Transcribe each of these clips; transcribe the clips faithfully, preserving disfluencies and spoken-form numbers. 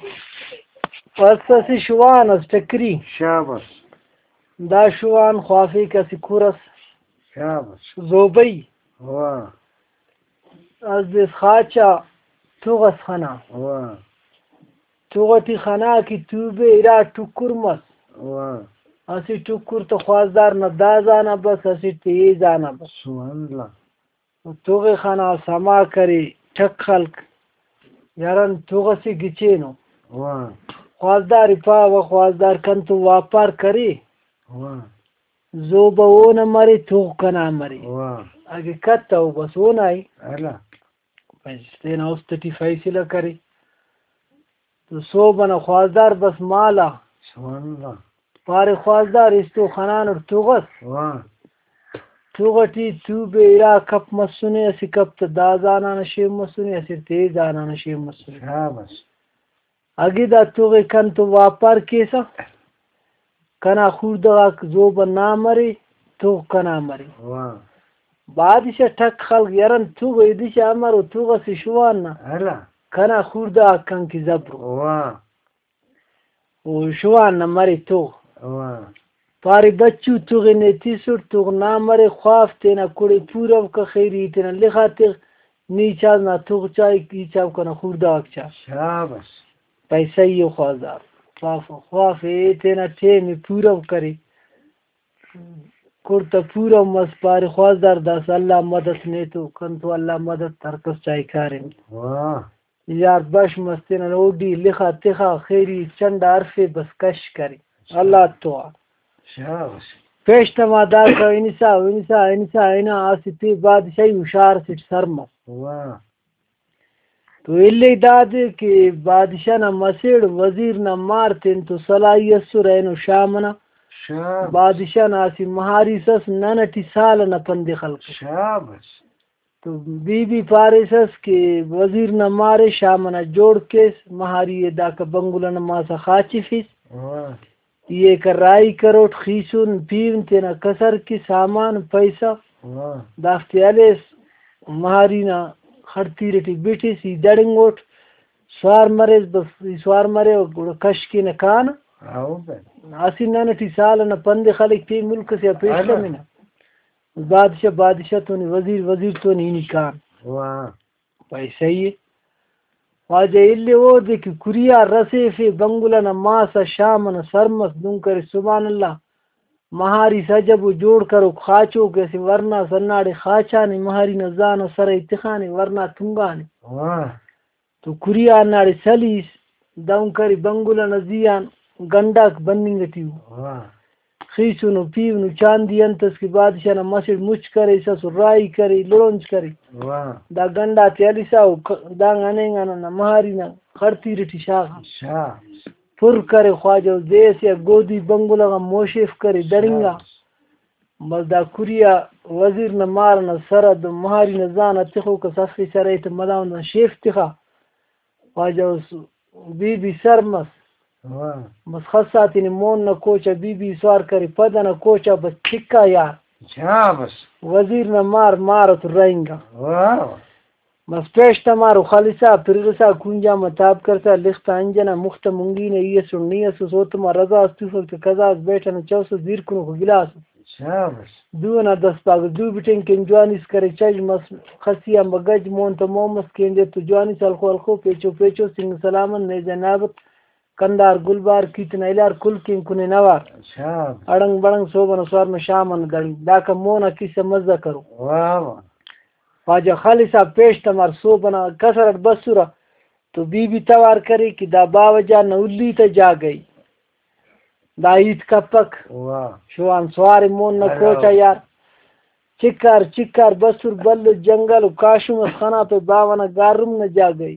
است اسہ شوان اس ٹکری۔ شاباس۔ دا شوان خوافیک اسہ کھر اس۔ شاباس۔ زوبئی۔ واہ۔ اس دے خاچا تغ اس خنا۔ واہ۔ تغ ٹی خنا کہ توبے ارا ٹکر مس۔ واہ۔ اسہ ٹکر تہ خواستار نا دا زانا بس، اسٹ تہ اے زانا بس۔ سبحان اللہ۔ و تغ ءِ خنا سما کرے، ٹک خلک، یاران تغ اسے گچینو۔ واہ۔ خواستار ءِ پاوہ، خواستار کنتون واپار کرے۔ واہ۔ زوبہ اونا مرے، تغ کنا مرے۔ واہ۔ اگہ کتو بس اونا ءِ۔ اللہ۔ بس تینا است ٹی فیصلہ کرے۔ تو سہب ئنا خواستار بس مالا۔ سبحان اللہ۔ پارے خواستار استو خنانٹ تغ اس۔ واہ۔ تغ ٹی توبے ارا کپ مسنے، اسہ کپ تہ دا زانا نا شین مسنے، اسٹ تہ اے زانا نا شین مسنے۔ شاباس۔ اگہ دا تغ ءِ کنتون واپار کیسہ، کنا خوڑدہ غاک زوبہ نا مرے، تغ کنا مرے۔ واہ۔ بادشاہ ٹک خلک، یرن تغ ءِ دشا امر و تغ اسہ شوان نا۔ ہلا۔ کنا خوڑدہ غاک کن کہ زبرو۔ واہ۔ و شوان نا مرے تغ۔ واہ۔ پارے بچو تغ ءِ نے تسٹ، تغ نا مرے، خواف تینا کڑے پورو کہ خیری تینا لخا تغ، نی چاس نا تغ چائک، ای چاپ کنا خوڑدہ غاک چا۔ شاباس۔ پائے سہی ءِ خواستار۔ خواف، خواف ءِ تینا ٹائم ءِ پورو کرے۔ کڑتہ پورو مس، پارے خواستار داسہ اللہ مدد نے تو کنتو اللہ مدد ہر کس چائے کاریم۔ واہ۔ یار بش مس تینا اوڈی لخا تخا خیری چنڈا ہرفے بس کش کرے۔ اللہ تو آ۔ شاباس۔ پیش تما داسہ ہنسا، ہنسا، ہنسا، ہنا اسہ تے بادشاہی ہشار اسٹ سر مس۔ واہ۔ تو الیک دادے کہ بادشاہ نا مسڑ وزیر نا مار تین تو سلاہی ئسر اینو شام ئنا۔ شاباس۔ بادشاہ نا اسہ مہاریس ئس نن ئٹی سال ئنا پندے خلک۔ شاباس۔ تو بی بی پاریسس کہ وزیر نا مارے شام ئنا جوڑ کیس، مہاری ئے داکا بنگلہ نا ماسا خاچفیس۔ واہ۔ ای ایکا راہی کروٹ، خیسن پیہن تینا کسر کے سامان پیسہ۔ واہ۔ دافتے ہلیس، مہاری نا خڑتیر ٹی بٹس، ای دڑنگوٹ، سوار مریس، بس ای سوار مرے و گڑا کش کینہ کانہ۔ ہاؤ بھائی۔ اسہ نن ٹی سال ئنا پندے خلک پین ملک سے آ پیش ہلو۔ تمنہ۔ بادشاہ، بادشاہ تون، وزیر، وزیر تون ہنی کان۔ واہ۔ بھائی صحیح ءِ۔ خواجہ الیو اودے کہ کھریار رسیفے، بنگلہ نا ماس آ شام ئنا سر مس، دن کرے سبحان اللہ، مہاریس عجب و جوڑ کروک خاچوک اسہ ورنا ئس ہنداڑے خاچانے، مہاری نا زان آ سر ءِ تخانے، ورنا تنگانے۔ واہ۔ تو کھریار ہنداڑے سلیس، دہن کرے بنگلہ نا زی آن گنڈاک بننگ ٹی ءُ۔ واہ۔ خیسنو پیہنو چاندی انت ئس کہ بادشاہ نا مسڑ مچ کریسس و راہی کرے، لڑونج کرے۔ واہ۔ دا گنڈا تے ہلسا و ک-، دانگ ہنینگا ننا مہاری نا خڑتیر ٹی شاغا۔ شاغ۔ پر کرے خواجہ و دے ئسے آ گودی بنگلہ غا موشیف کرے دڑنگا۔ شاغ۔ بس دا کھریار وزیر نا مار ئنا سر آ دہن مہاری نا زان آ تخوک ئس، ہرفے سر ءِ تہ مداوند آن شیف تخا۔ خواجہ اس بی بی سر مس۔ واہ۔ بس خسا تینے مون نا کوچ آ بی بی سوار کرے، پد ئنا کوچ آ بس چکا یار۔ شاباس۔ وزیر نا مار، مار تو رہینگا۔ واہ۔ بس پیش تمارو خلسا، پرغسا، کونجا ما تاب کرسا، لختا انجنا، مختا منگینا، ای اسن نی اسس، اوتما رضا اس توفک تہ قضا اس بیٹھنا، چوسس دیر کنوکو گلاس۔ شاباس۔ دو ئنا دست پاگہ دو بٹنگ کن جوانیس کرے، چش مس خسی آن بہ گج، مون تہ مون مس کیندے تو جوانیس ہلخو ہلخو، پیچو پیچو، سنگ سلامت، نیزہ نابت، کندار گلبار، کیت نا الار، کل کین کنے نوار۔ شاباس۔ اڑنگ بڑنگ سہب ئنا سوار نا شام ئنا دڑنگ، داکان مون آ کسہ مزہ کرو۔ واہ واہ۔ خواجہ خالص آ پیش تمار سہب ئنا کسر ئٹ بسرہ تو بی بی توار کرے کہ دا باوہ جان نا ہلی تا جاگہ ءِ۔ دا ہیت کپک۔ واہ۔ شوان سوار ءِ مون نا ہلو۔ کوچ آ یار۔ چکار چکار بسر بھلو جنگل و کاشم اس خنا پہ باوہ نا گارم نا جاگہ ءِ۔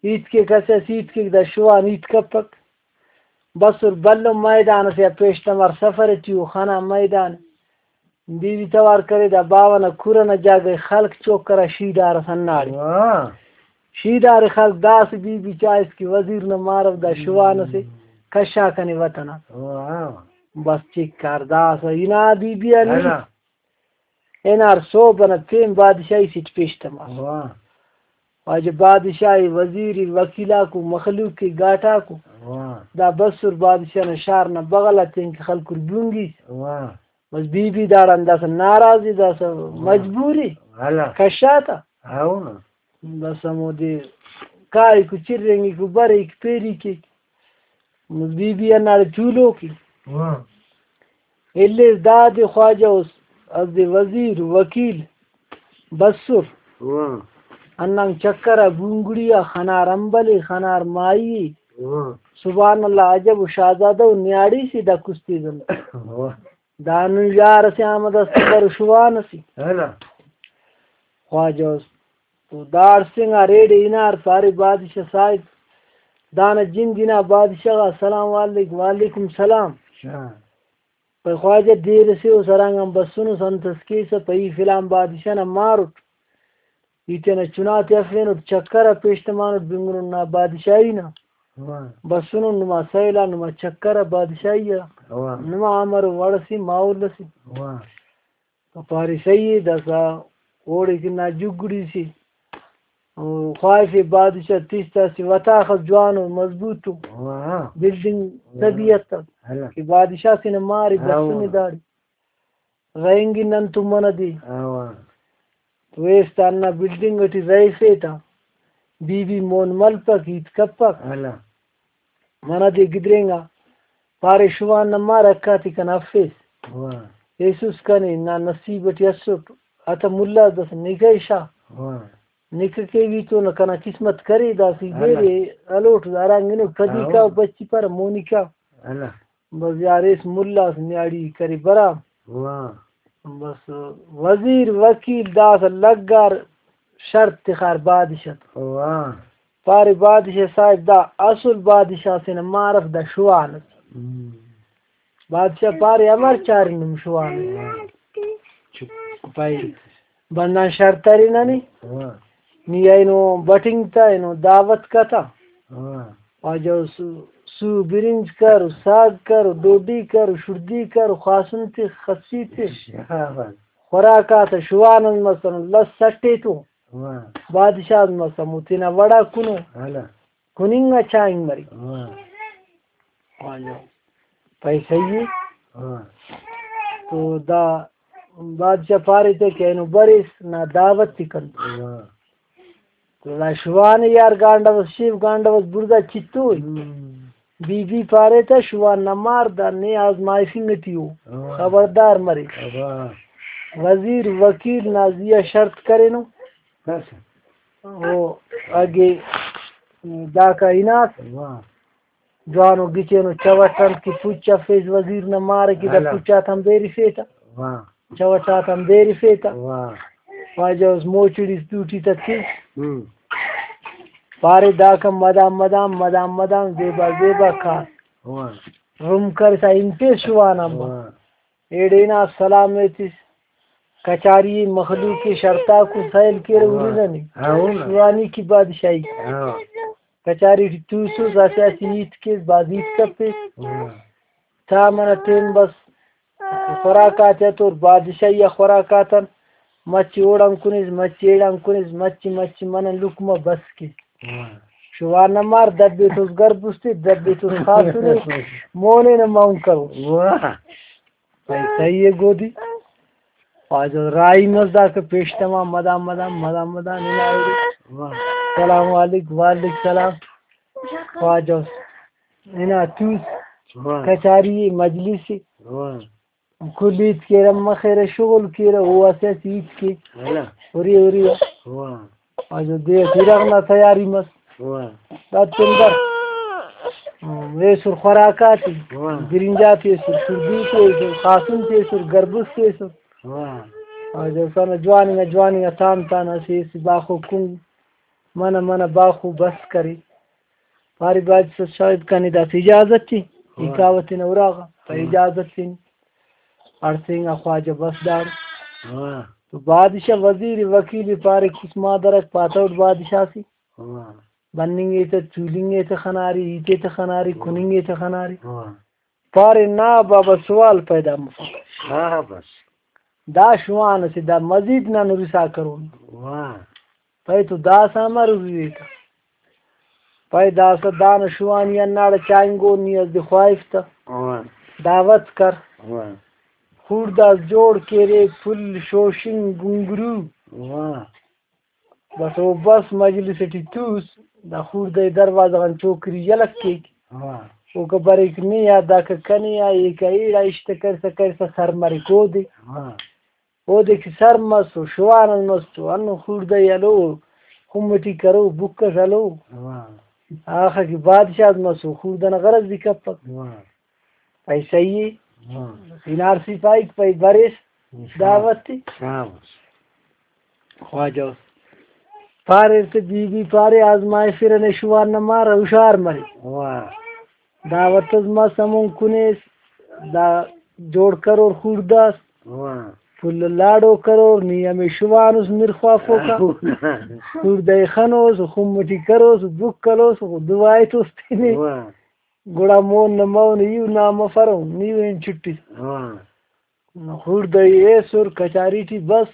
ہیت کیک اسہ اس ہیت کیک دا شوان ہیت کپک۔ بسر بھلو میدان اسے آ پیش تمار سفر ٹی او خنا میدان۔ بی بی توار کرے دا باوہ نا کھر ئنا جاگہ ءِ، خلق چوک کرا شیدار ئس ہنداڑے۔ واہ۔ شیدار ءِ خلق داسہ بی بی چائس کہ وزیر نا مارو دا شوان ئسے کشا کنے وطن آ۔ واہ۔ بس چکار داسہ ہنا بی بی آ نی ہنا۔ ہنار سہب ئنا پین بادشاہی سیٹ پیش تماس۔ واہ۔ واجہ بادشاہ ءِ، وزیر ءِ، وکیل آکو، مخلوق ءِ، گاٹاکو۔ واہ۔ دا بسر بادشاہ نا شار نا بغل آ تینکہ خلکر بونگیس۔ واہ۔ بس بی بی داڑان داسہ ناراض ءِ، داسہ مجبور ءِ۔ ہلا۔ کشاتا۔ ہاؤ نا۔ بس ہمودے کائک و چرینگک و بریک پیری کیک۔ بس بی بی ہنداڑے تولوک ءِ۔ واہ۔ الیس دادے خواجہ اس، اسہ دے وزیر، وکیل بسر۔ واہ۔ ہندن چکر آ بونگڑی آ خنار امبل ءِ، خنار ماہی ءِ۔ واہ۔ سبحان اللہ، عجب و شاہزادہ و نیاڑی سے دا کشتی زندہ۔ واہ۔ دا نن یار اسے آمد است بر شوان اسے۔ ہلا۔ خواجہ اس تو داڑسنگا ریڑے ہنار، پارے بادشاہ صاحب دانا جند ہنا۔ بادشاہ غا سلام علیک، وعلیکم سلام۔ شاہ۔ پائے خواجہ دیر سے او سرانگان بسنس، انت اس کیسہ؟ پائے ای فلان بادشاہ نا مار اٹ، ای تینا چنا تے ہرفینٹ، چکر آ پیش تمانٹ، بنگنٹ نا بادشاہی نا۔ واہ۔ بسنٹ نما سیل آ، نما چکر آ بادشاہی آ۔ واہ۔ نما امر وڑ اسے، ماحول اسے۔ واہ۔ تو پارے صحیح ءِ، داسہ اوڑے کہ نا جگڑی سے۔ او خواہفے بادشاہ تس تا اسہ وطاخ اس جوانو مضبوطو۔ واہ۔ بلڈنگ طبیعت آ ہلا۔ کہ بادشاہ سے نا مارے ہاں، بسنے واہ۔ داڑے۔ رہینگن نن تو منہ دے۔ ہاں، واہ۔ تو ایس تا ہندا بلڈنگ ٹی رہفے تا۔ بی بی مون ملپک، ہیت کپک۔ ہلا۔ منہ دے گدرینگا، پارے شوان نا مار حق آتے کنا افیس۔ واہ۔ ایسس کنے، نا نصیب ٹی اسٹ، آتا ملا دس نکاح شا۔ واہ۔ نکاح کیوی تو نہ کنا قسمت کرے، داسہ ہلا۔ بیرے الوٹ ہرانگنو پدی ہاں۔ کا بچی پر مونی کا۔ ہلا۔ بس یار ایس ملا اس نیاڑی کرے برام۔ واہ۔ بس وزیر وکیل داسہ لگار شرط تخار بادشاہ تون۔ واہ۔ پارے بادشاہ صاحب دا اصل بادشاہ سے نا مار اف، دا شوان اس۔ ہم۔ بادشاہ پارے امر چارینم شوان اس۔ واہ۔ چپ۔ پائے بندغ شرط ارے ننے۔ واہ۔ نی اینو بٹنگ تا، اینو دعوت کتا۔ واہ۔ واجہ سو، سو برنج کر، ساگ کر، ڈوڈی کر، شڑدی کر، خاسن تے، خسی تے۔ شاباش۔ خوراک آتا شوان اس مسن، لس سٹے تو۔ واہ۔ بادشاہ اس مسن، او تینا وڑا کنو۔ ہلا۔ کننگ آ چائنگ مریک۔ واہ۔ واجہ۔ پائے صحیح ءِ۔ ہاں۔ تو دا بادشاہ پارے تے کہ اینو بریس نا دعوت تے کن۔ ہاں۔ تو دا شوان یار گانڈوس، شیف گانڈوس، بڑزا چتو ءِ۔ ہم۔ بی بی پارے تا شوان نا مار دا نے آزمائشنگ ٹی او۔ ہاں۔ خبردار مرے۔ ہاں۔ وزیر وکیل نا زی آ شرط کرینو۔ بس۔ او اگے داکا ہناس۔ واہ۔ جوانو گچینو چوٹ انت کہ پچ افیس وزیر نا مار کہ دا ہلا۔ پچ آتان بیرفیتہ۔ واہ۔ چوٹ آتان بیرفیتہ۔ واہ۔ واجہ اس موچڑیس دوٹی تتس۔ ہم۔ پارے داکان مدام مدام، مدام مدام، زیبا زیبا کار۔ واہ۔ رم کرسا ہنپیس شوان آن با۔ واہ۔ ایڑے ہنا سلام ایتس۔ کچاری مخلوق ءِ شرطاکو سیل کیرہ واہ۔ ہُرنہ نے۔ ہاں، ہُرنہ۔ شوانی کی بادشاہی۔ ہاں۔ کچاری ٹی توسس، اسہ اسہ ہیت کیس، بھاز ہیت کپیس۔ ہاں۔ تا منہ تین بس خوراک آتے ہتور، بادشاہی آ خوراک آتن مچہ اوڑان کُنیس، مچہ ایڑان کُنیس، مچہ، مچہ منہ لقمہ بس کیس۔ ہاں۔ شوان نا مار دبیتوس گربز تے، دبیتوس خاسن ءِ، مون ءِ نہ مون کروس۔ واہ۔ صحیح، صحیح ءِ گودی۔ خواجہ راہی مس داکہ پیش تما مدام مدام، مدام مدام ہنا ایڑے۔ واہ۔ سلام علیک، وعلیک سلام۔ خواجہ ہنا توس۔ واہ۔ کچاری ءِ، مجلس ءِ۔ واہ۔ کل ہیت کیرہ مخیرہ، شغل کیرہ، او اسہ اسہ ہیت کے۔ ہلا۔ ہُری ہُری آ۔ واہ۔ واجہ دے ٹی اِرغ نا تیاری مس۔ واہ۔ دا تندر۔ ہم، ایسر خوراک آتے۔ واہ۔ برنج آتے ایسر، شڑدی تے ایسر، خاسن تے ایسر، گربز تے ایسر۔ واہ۔ واجہ اوسانا جوان انگا، جوان انگا تان تان اسہ ایسر باخو کنگ منہ منہ باخو بس کرے۔ پارے بادشاہ صاحب کنے داسہ اجازت ءِ، ای واہ۔ کاوہ تینا اُراغا، پائے واہ۔ اجازت تینے۔ ہڑسینگا خواجہ بس داڑے۔ واہ۔ تو بادشاہ وزیر وکیل پارے کس مادرک پاتوٹ بادشاہ سے۔ واہ۔ بننگ ءِ تہ، تولنگ ءِ تہ خناری، ہیت ءِ تہ خناری، واہ۔ کننگ ءِ تہ خناری۔ واہ۔ پارے نا بابا سوال پیدا مفک۔ شاباش۔ دا شوان اسے، دا مزید نن ہُرسا کرون۔ واہ۔ پائے تو داسہ امر اریرے تہ؟ پائے داسہ دانا شوانی ہنداڑے چائنگون، نی اس دے خواہف تہ۔ واہ۔ دعوت کر۔ واہ۔ خوڑدہ اس جوڑ کیرے، پھل، شوشنگ، گنگرو۔ واہ۔ بس او بس مجلس ٹی توس، دا خوڑدہ ءِ دروازہ غان چوکری یلہ کیک۔ واہ۔ اوکا بریک نے آ، داکا کنے آ، ایکا ایڑا اشتہ کرسا کرسا سر مریک اودے۔ واہ۔ اودے کہ سر مس و شوان اس مس تو ہندن خوڑدہ ءِ ہلو، خم ٹی کرو، بک اس ہلو۔ واہ۔ آخا کہ بادشاہ اس مس و خوڑدہ نا غرض بھی کپک۔ واہ۔ پائے صحیح ءِ۔ ہاں۔ ہنار سپاہیک پائے بریس انشاءاللہ۔ دعوت ءِ۔ شاباش۔ خواجہ اس۔ پاریر تہ بی بی پارے، آزمائفرہ نے شوان نا مار، ہشار مرے۔ واہ۔ دعوت اس مس، ہمون کنے اس، دا جوڑ کرور خوڑدہ اس۔ واہ۔ پھل لاڑو کرور، نی ہمے شوان اس مر خوافوکا۔ واہ۔ خوڑدہ ءِ خنوس، خم ٹی کروس، بک ہلوس، دعا ایتوس تینے۔ واہ۔ گڑا مون نہ مون، ایہو نا مفرہ، نی ہن چھٹس۔ ہاں۔ خوڑدہ ءِ ایسر کچاری ٹی بس۔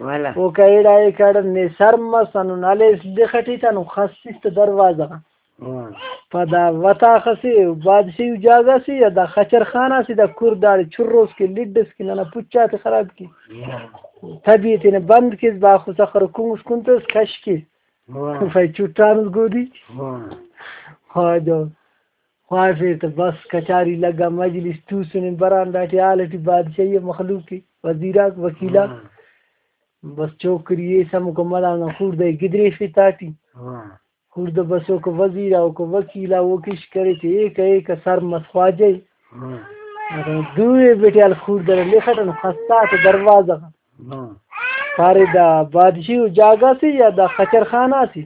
والا۔ اوکا ایڑا ایکاڑا نے سر مس، ہندن ہلیس لخ ٹی تہ ہندن خسس تہ دروازہ غا۔ ہاں۔ پدا وتاخ اسے، بادشاہی جاگہ سے یا دا خچر خانہ سے، دا کر داڑے چروس کہ لڈس کہ ننا پچ آتے خراب کے۔ ہاں۔ تبی تینے بند کیس، باخو سخر کنگس کنتس کش کیس۔ واہ۔ پائے چٹانس گودی۔ واہ۔ خواجہ خواہفے تہ بس کچاری لگا، مجلس توسنے، برانڈا ٹی حال ٹی بادشاہی ءِ، مخلوق ءِ، وزیراک، وکیلاک۔ واہ۔ بس چوکری ایس ہموکا مدام نا خوڑدہ ءِ گدریفے تاٹی۔ واہ۔ خوڑدہ بس اوکا وزیر آ، اوکا وکیل آ، او کش کرے تے ایکا ایکا سر مس خواجہ ءِ۔ واہ۔ دوئے بٹیال خوڑدہ نا لخ اٹ ہندن خسا تہ دروازہ غا۔ ہاں۔ پارے دا بادشاہی جاگہ سے یا دا خچر خانہ سے؟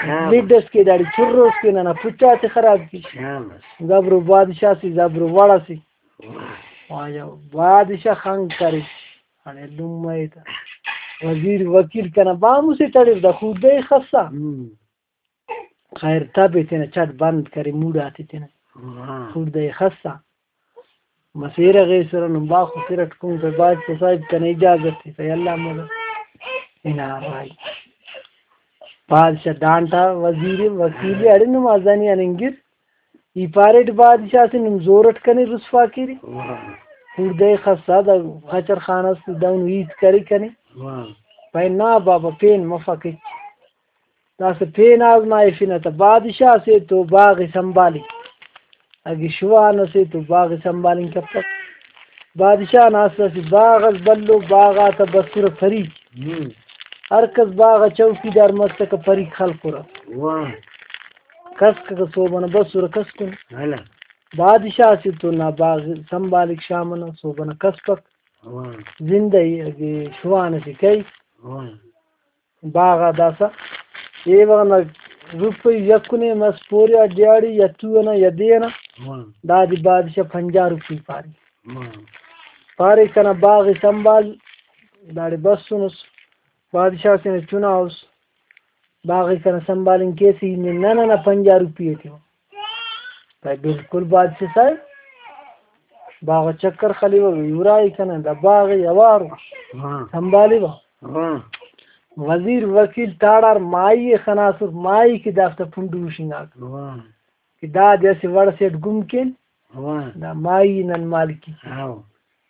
ہاں۔ لڈ اس کے داڑے چروس کے ننا پچ آتے خراب کے۔ ہاں۔ زبرو بادشاہ سے، زبرو وڑ سے۔ واہ۔ واجہ بادشاہ خنگ کرے۔ اڑے لمہ ءِ تا۔ وزیر وکیل کنا بامو سے تڑر دا خوڑدہ ءِ خسا۔ ہم۔ خیر تبے تینا چٹ بند کرے، موڈ آتے تینا۔ ہاں۔ خوڑدہ ءِ خسا۔ مسیرہ غیسرہ نم باخو سرٹ کن کہ بادشاہ صاحب کنے اجازت ءِ، اللہ مدد۔ ہنا رائی۔ بادشاہ ڈانٹا وزیر وکیل اڑے نم آزانی آن انگر۔ ای پاریٹ بادشاہ سے نم زور اٹ کنے رسوا کیرے۔ واہ۔ خوڑدہ ءِ خسا دا خچر خان اس دہن ہیت کرے کنے۔ واہ۔ پائے نا بابا پین مفک ہچ۔ داسہ پین آزمائفنہ تہ بادشاہ سے تو باغ ءِ سنبھالک۔ اگہ شوان اسے تو باغ ءِ سنبھالنگ کپک۔ بادشاہ نا اسہ اسہ باغ اس بھلو، باغ آتا بسرہ پریک۔ ہم۔ ہر کس باغ آ چوکیدار مسکہ، پریک خلکرہ۔ واہ۔ کسککہ صوب ئنا بسرہ کسکن۔ ہلہ۔ بادشاہ سے تو نا باغ سنبھالک، شام ئنا صوب ئنا کسپک۔ واہ۔ زندہ ءِ، اگہ شوان اسے کیک۔ واہ۔ باغ آ داسہ ایوان نا روپئی یکنے مس پوریا دیہاڑی یا تو ئنا یا دے ئنا۔ واہ۔ دادے بادشاہ پنجاہ روپئی پارے۔ واہ۔ پارے کنا باغ ءِ سنبھال، داڑے بسنس، بادشاہ تینا چنا اس، باغ ءِ کنا سنبھالنگ کیسہ، ای نے نن ئنا پنجاہ روپئی ءِ تیوہ۔ پائے بالکل بادشاہ صاحب، باغ چکر خلیوہ، ارا ءِ کنا دا باغ ءِ اوارو۔ ہاں۔ سنبھالیوہ۔ ہاں۔ وزیر وکیل تاڑار ماہی ءِ خناسر، ماہی کہ دافتا پنڈو ہشنگاک۔ ہاں۔ کہ دادے اسہ وڑ سے اٹ گم کین۔ ہاں۔ دا ماہی نن مالکی۔ ہاں۔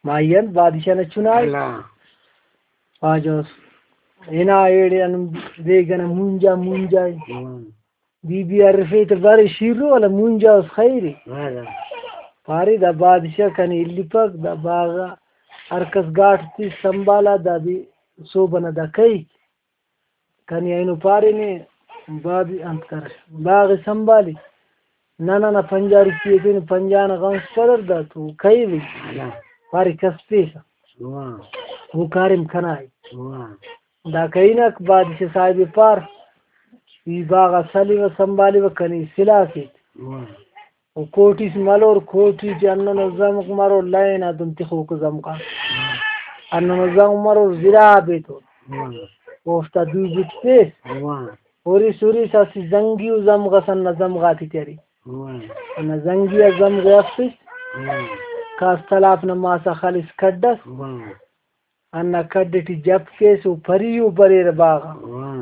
ماہی انت بادشاہ نا چنا ءِ۔ اللہ۔ خواجہ اس۔ ہنا ایڑے ہندن بیگہ نا مونجا، مونجا ءِ۔ ہاں۔ بی بی ہرفے تہ بارے شیرو والا مونجا اس خیر ءِ۔ واہ واہ۔ پارے دا بادشاہ کنے الیپک، دا باغ آ ہر کس گاٹ تس سنبھالا، دادے صوب ئنا دا کیک۔ کنے اینو پارے نے باد-، انت کر، باغ ءِ سنبھالے۔ نن ئنا پنجاہ روپیہ ءِ تینے، پنجاہ نا غمس پدر دا تو کیوے۔ واہ۔ پارے کس تسہ۔ واہ۔ او کاریم کنا ءِ۔ واہ۔ دا کہینک بادشاہ صاحب ءِ پار، ای باغ آ سلوہ سنبھالیوہ کنے سلاہ کیک۔ واہ۔ و کوٹی سے ملور، کوٹی ٹی ہندنو زمک مرور، لائن آتون تخوک زمک آ۔ ہندنو زمک مرور زراب ایتون۔ واہ۔ اوفتا دو بت پیس۔ واہ۔ ہُرس ہُرس اسہ زنگی و زمغ ئس ہندا زمغاتے ٹی ارے۔ واہ۔ ہندا زنگی آ زمغ ئے ہرفس۔ واہ۔ کاس تلاپ نا ماس آ خلس کڈ ئس۔ واہ۔ ہندا کڈ ٹی جپ کیس، او پری او بریرہ باغ آ۔ واہ۔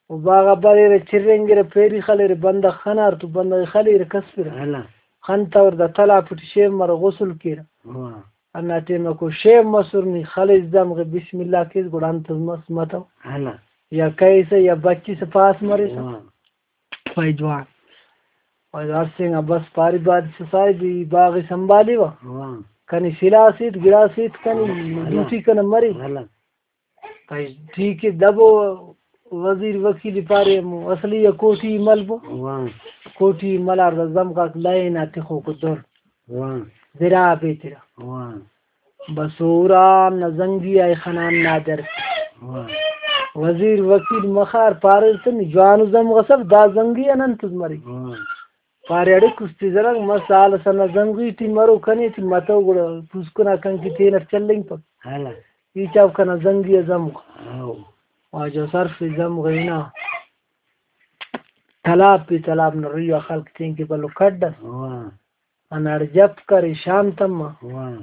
او باغ آ بریرہ، چرینگرہ، پیری خلیرہ، بندغ خنار تو بندغ خلیرہ، کسفرہ۔ ہلا۔ خنتور دا تلاپ ٹی شیف مرو، غسل کیرہ۔ واہ۔ ہندا ٹائم آ کو شیف مسر، نی خلیس دمغے، بسم اللہ کیس، گڑا انت مس متو۔ ہلا۔ یا کیسہ یا بچیسہ پاس مریسہ۔ واہ۔ پائے جوان۔ پائے ہر سنگا بس پاری بادشاہ صاحب، ای باغ ئے سنبھالیوہ۔ واہ۔ کنے سلاس ایت، گڑاس ایت کنے، ہلا۔ ڈیوٹی کنے مرے۔ ہلا۔ پائے ٹھیک ہے، دبو وزیر وکیل پارے ہمو اصلی یا کوٹی ملبو۔ واہ۔ کوٹی ملار دا زمغاک لائن آ تخوکو دُر۔ واہ۔ زراب ایترہ۔ واہ۔ بس ہوران نا زنگی آ خنان نادر۔ واہ۔ وزیر وکیل مخار پاریر تہ نی جوانو زمغس اف، دا زنگی آن انتس مرے؟ واہ۔ پارے اڑے کستی زرنگ مس، سال ئسے نا زنگی ٹی مرو، کنے ٹی متو، گڑا پوسکن آ کنکے تینٹ چلینگپک۔ ہلا۔ ای چاپ کنا زنگی آ زمغ۔ ہاؤ۔ واجہ صرف زمغ ہنا۔ تلاب پہ تلاب نا روی آ خلق تینکہ بھلو کڈ ئس۔ واہ۔ ہنداڑے جپ کرے، شام تما۔ واہ۔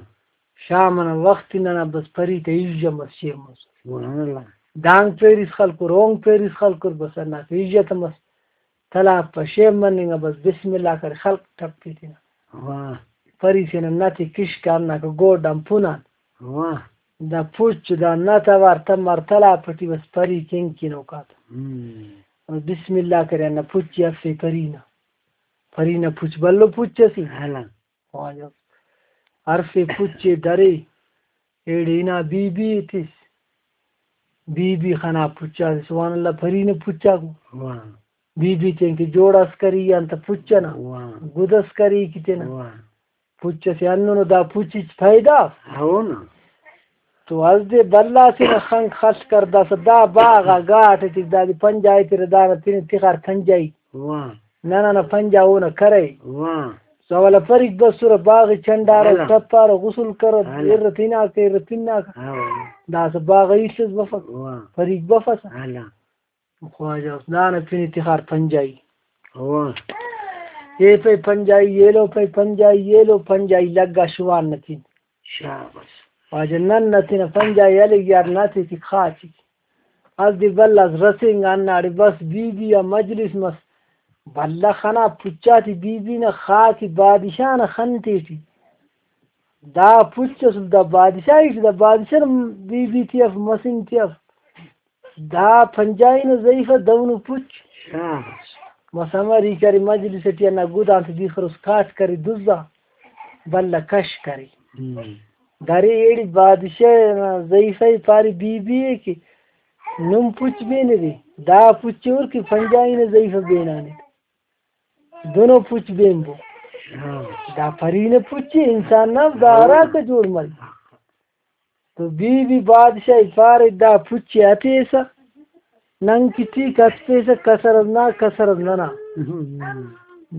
شام ئنا وخت ننا بس پری تا ہژ مس، شیف مس۔ سبحان اللہ۔ دانگ پیریس خلکر، اونگ پیریس خلکر، بس ہنداکہ ہژ تمس۔ تلاب پہ شیف مننگ آ بس بسم اللہ کرے، خلق ٹپی تینا۔ واہ۔ پری تینا نت ئے کشک آ، ہنداکہ گوڈ آن پن آن۔ واہ۔ دا پچ دا نت اوار تمار تلاب ٹی بس پری کنکن اوکاتہ۔ ہم۔ بسم اللہ کرے، ہندا پچ ئے ہرفے پری نا۔ پری نا پچ بھلو پچ ئسے۔ ہلا۔ واجہ۔ ہرفے پچ ئے درے، ایڑے ہنا بی بی ئے تس۔ بی بی خنا پچ آتے، سبحان اللہ، پری نا پچ آک۔ واہ۔ بی بی تینکہ جوڑ ئس کری آن تہ پچ ئنا۔ واہ۔ گد ئس کری کہ تینا۔ واہ۔ پچ ئسے ہندنو، دا پچ ہچ پیدا اف۔ ہو نا۔ تو ہرفے بھلا تینا خنک خل کر داسہ دا باغ آ گاٹ ٹی دادے پنجائی تیرہ، دانا تینے تخار پنجائی۔ واہ۔ ننا نا پنجا اونا کرے۔ واہ۔ سوال پریک بسرہ، باغ چنڈارہ، ہلا۔ ٹپارہ، غسل کرہ، ہلا۔ ارہ تناکہ، ارہ پناکہ۔ ہاں۔ داسہ باغ ایسس بفک۔ واہ۔ پریک بفسہ۔ ہلا۔ خواجہ اس دانا پن تخار پنجائی۔ واہ۔ اے پائے پنجائی، ایلو پائے پنجائی، ایلو پنجائی لگا شوان نا پن۔ شاباش۔ واجہ نن نا تینا پنجائی ہلک یار، ناتے ٹی خاچک۔ اسہ دے بھلا اس رسینگا ہنداڑے بس بی بی آ مجلس مس۔ بھلا خنا پچاتے بی بی نا خاک بادشاہ نا خن تیٹی۔ دا پچ اسل دا بادشاہی ٹی، دا بادشاہ نا بی بی تے اف، مسن تے اف۔ دا پنجائی نا زئیفہ دہنو پچ۔ شاباش۔ بس امر ای کرے مجلس ٹی ہندا گدان تے دی خروس کاٹ کرے دزا، بھلا کش کرے۔ ہم۔ درے ایڑے بادشاہ نا زئیفہ ئے پارے بی بی ئے کہ نم پچ بینے دے، دا پچ ہُر کہ پنجائی نا زئیفہ بینانے۔ دنو پچ بینبو۔ ہاں۔ دا پری نا پچ ءِ، انسان نا دا ہراکہ جوڑ مریک۔ تو بی بی بادشاہ ءِ پارے، دا پچ ءِ ہتیسہ ننگ کہ ٹھیک ہتپیسہ، کسر اس نا، کسر اس ننا۔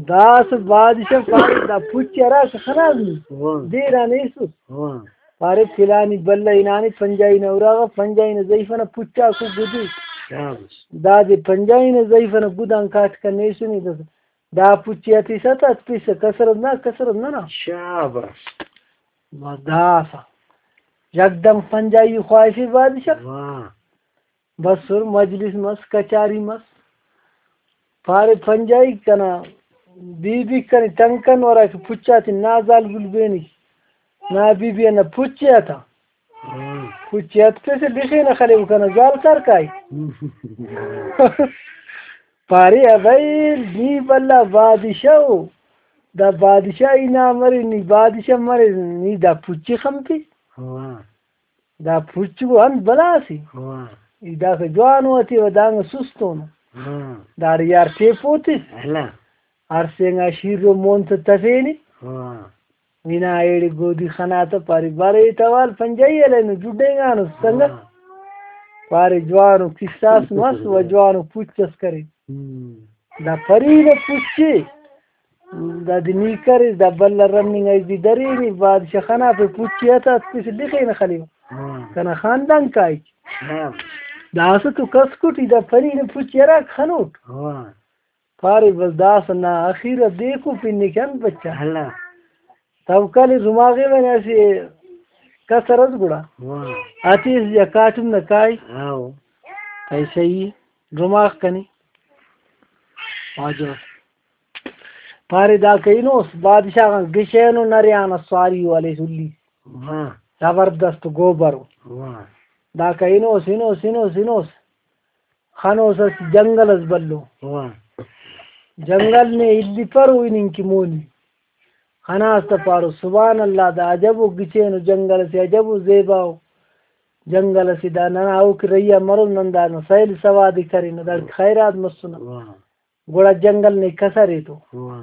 داسہ بادشاہ پارے، دا پچ ءِ ہراکہ خناس نی، واہ۔ دیر آن ایسس۔ واہ۔ پارے، پلانی بلہ ہنانے پنجائی نا اراغا، پنجائی نا زئیفہ نا پچاکو گدے۔ شاباش۔ دادے پنجائی نا زئیفہ نا گدان کاٹ کن ایسنے، داسہ دا پچ ءِ ہتیسہ تا ہتپیسہ، کسر اس نا، کسر اس ننا۔ شاباش۔ بس داسہ یکدم پنجائی خواہفے بادشاہ۔ واہ۔ بسر مجلس مس، کچاری مس۔ پارے پنجائی، کنا بی بی کنے تنگ کن، ہراکہ پچ آتے نا زالبول بینی۔ نا بی بی انا پچ ءِ ہتا۔ ہاں۔ پچ ءِ ہتپیسہ لخینہ خلیو کنا زال کر کائک۔ پارے، ابھئی نی بھلا بادشاہ ءُ، دا بادشاہی نام مرے، نی بادشاہ مرے، نی دا پچ ءِ خنپے۔ واہ۔ دا پچ ءُ انت بلا سے۔ واہ۔ ای داسہ جوانو ہتیوہ، دانگ سست اونو۔ ہاں۔ داڑے یار ٹیپو تس۔ ہلا۔ ہر سینگا شیرو مون تہ تفینے۔ واہ۔ ہنا ایڑے گودی خنا تہ پارے، بارے ای توال پنجائی ہلینو، جڈینگانو سنگت۔ ہاں۔ پارے جوانو قصہ اس مس و جوانو پچ اس کرے۔ ہم۔ دا پری نا پچ ءِ، دادے نی کریس، دا بھلا رننگ آ ای زی درینے، بادشاہ خنا پہ پچ ءِ ہتا، ہتپیسہ لخینہ خلیو۔ ہاں۔ کنا خاندان کائک۔ ہاں۔ داسہ تو کس کٹی، دا پری نا پچ ءِ ہراکہ خنوٹ۔ ہاں۔ پارے، بس داسہ نا اخیرا دیکھو پن ءِ کہ انت بچا۔ ہلا۔ توکل ءِ رماغے، من اسہ کسر ئس گڑا۔ واہ۔ ہتیس یا کاٹم نا کائے۔ ہاؤ۔ پائے صحیح ءِ۔ ڈرماغ کنے۔ واجہ۔ پارے داکا ہنوس، بادشاہ غان گچینو نرے آن سواری والے سلی۔ واہ۔ زبردست گوبرو۔ واہ۔ داکا ہنوس، ہنوس، ہنوس، ہنوس۔ خنوس اسہ جنگل اس بھلو۔ واہ۔ جنگل نے الیپرو ہننگ کہ مونی۔ خناس تہ پارو، سبحان اللہ، دا عجبو گچینو جنگل اسے، عجبو زیباؤ جنگل اسے۔ دا ننا اوکہ رہی آ مرو، نن دانا سیل سواد ءِ کرینہ، داڑے خیرات مسنہ۔ واہ۔ گڑا جنگل نے کسر ایتو۔ واہ۔